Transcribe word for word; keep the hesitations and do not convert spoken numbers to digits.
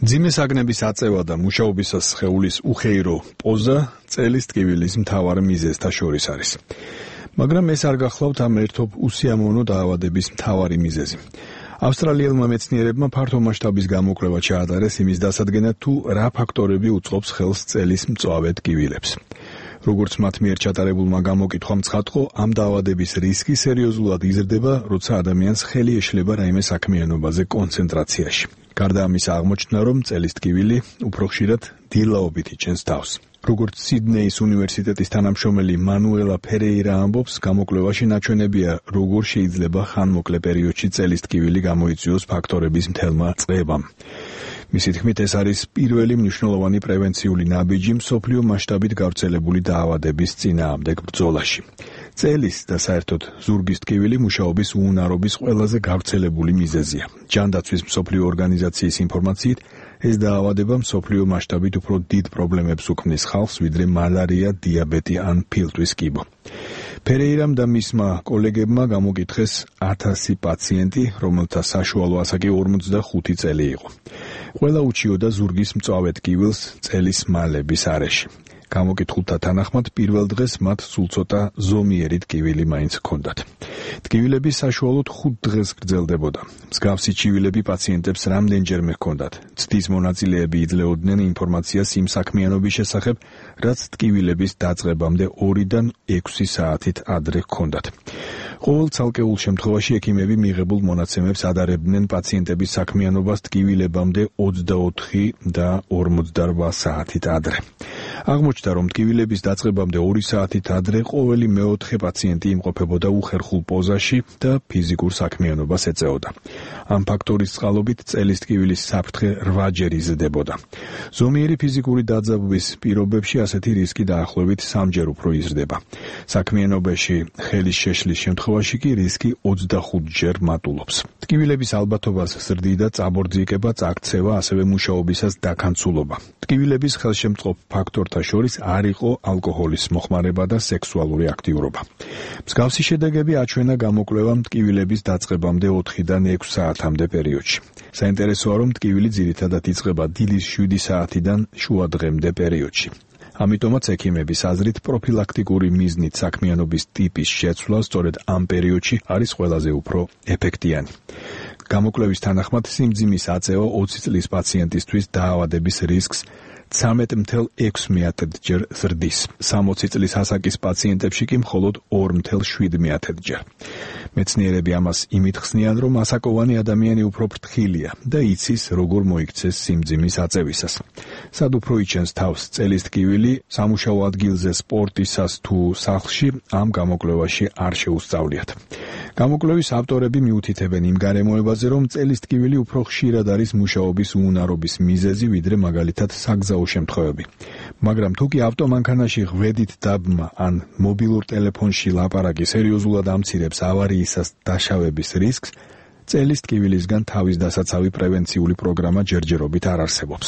მძიმე საგნების აწევა და მუშაობისას სხეულის უხეირო პოზა წელის ტკივილის მთავარ მიზეზთა შორის არის. მაგრამ ეს არ გახლავთ ამ ერთობ უსიამოვნო დაავადების მთავარი მიზეზი. ავსტრალიელმა მეცნიერებმა ფართო მასშტაბის გამოკვლევა ჩაატარეს იმის დასადგენად, თუ რა ფაქტორები უწყობს ხელს წელის მწვავე ტკივილებს. როგორც მათ მიერ ჩატარებულმა გამოკითხვამ ცხადყო, ამ დაავადების რისკი სერიოზულად იზრდება, როცა ადამიანს ხელი ეშლება რაიმე საქმიანობაზე კონცენტრაციაში. გარდა ამისა აღმოჩნდა, რომ წელის ტკივილი უფრო ხშირად დილაობით იჭენს თავს. როგორც სიდნეის უნივერსიტეტის თანამშრომელი მანუელა ფერეირა ამბობს, გამოკვლევაში ნაჩვენებია, როგორ შეიძლება ხანმოკლე პერიოდში წელის ტკივილი გამოიწვიოს ფაქტორების მთელმა წყებამ. მისი თქმით, ეს არის პირველი მნიშვნელოვანი პრევენციული ნაბიჯი მსოფლიო მასშტაბით გავრცელებული დაავადების წინააღმდეგ ბრძოლაში. წელის და საერთოდ ზურგის ტკივილი მუშაობის უუნარობის ყველაზე გავრცელებული მიზეზია. ჯანდაცვის მსოფლიო ორგანიზაციის ინფორმაციით, ეს დაავადება მსოფლიო მასშტაბით უფრო დიდ პრობლემებს უქმნის ხალხს, ვიდრე მალარია, დიაბეტი ან ფილტვის კიბო. ფერეირამ და მისმა კოლეგებმა გამოკითხეს ათასი პაციენტი, რომელთა საშუალო ასაკი ორმოცდახუთი წელი იყო. ყველა უჩიოდა ზურგის მწვავე ტკივილს წელის მალების არეში. გამოკითხულთა თანახმად პირველ დღეს მათ სულ ცოტა ზომიერი ტკივილი მაინც ჰქონდათ. ტკივილები საშუალოდ ხუთ დღეს გრძელდებოდა. მსგავსი ჩივილები პაციენტებს რამდენჯერმე ჰქონდათ. ცდის მონაწილეები იძლეოდნენ ინფორმაციას იმ საქმიანობის შესახებ, რაც ტკივილების დაწყებამდე ორიდან ექვსი საათით ადრე ჰქონდათ. ყოველ ცალკეულ შემთხვევაში ექიმები მიღებულ მონაცემებს ადარებდნენ პაციენტების საქმიანობას ტკივილებამდე ოცდაოთხი და ორმოცდარვა საათით ადრე. აღმოჩნდა, რომ ტკივილების დაწყებამდე ორი საათით ადრე ყოველი მეოთხე პაციენტი იმყოფებოდა უხერხულ პოზაში და ფიზიკურ საქმიანობას ეწეოდა. ამ ფაქტორის წყალობით წელის ტკივილის საფრთხე რვაჯერ იზრდებოდა. ზომიერი ფიზიკური დაძაბვის პირობებში ასეთი რისკი დაახლოებით სამჯერ უფრო იზრდება. საქმიანობაში ხელის შეშლის შემთხვევაში კი რისკი ოცდახუთჯერ მატულობს. ტკივილების ალბათობას ზრდიდა წაბორძიკება, წაქცევა, ასევე მუშაობისას დაქანცულობა. ტკივილების ხელშემწყობ ფაქტორთა შორის არ იყო ალკოჰოლის მოხმარება და სექსუალური აქტიურობა. მსგავსი შედეგები აჩვენა გამოკვლევამ ტკივილების დაწყებამდე ოთხიდან ექვს საათამდე პერიოდში. საინტერესოა, რომ ტკივილი ძირითადად იწყება დილის შვიდი საათიდან შუა დღემდე პერიოდში. ამიტომაც ექიმების აზრით პროფილაქტიკური მიზნით საქმიანობის ტიპის შეცვლა სწორედ ამ პერიოდში არის ყველაზე უფრო ეფექტიანი. გამოკვლევის თანახმად სიმძიმის აწევა ოცი წლის პაციენტისთვის დაავადების რისკს ცხრამეტ ათეულ ექვს მეათედჯერ ზრდის. სამოცი წლის ასაკის პაციენტებში კი მხოლოდ ორ ათეულ შვიდ მეათედჯერ. მეცნიერები ამას იმით ხსნიან, რომ ასაკოვანი ადამიანი უფრო ფრთხილია და იცის, როგორ მოიქცეს სიმძიმის აწევისას. სად უფრო იჩენს თავს წელის ტკივილი, სამუშაო ადგილზე, სპორტისას თუ სახლში, ამ გამოკვლევაში არ შეუსწავლიათ. გამოკვლევის ავტორები მიუთითებენ იმ გარემოებაზე, რომ წელის ტკივილი უფრო ხშირად არის მუშაობის უუნარობის მიზეზი, ვიდრე მაგალითად საგზაო შემთხვევები. მაგრამ თუ კი ავტომანქანაში ღვედით დაბმა ან მობილურ ტელეფონში ლაპარაკი სერიოზულად ამცირებს ავარიისას დაშავების რისკს, წელის ტკივილისგან თავის დასაცავი პრევენციული პროგრამა ჯერჯერობით არ არსებობს.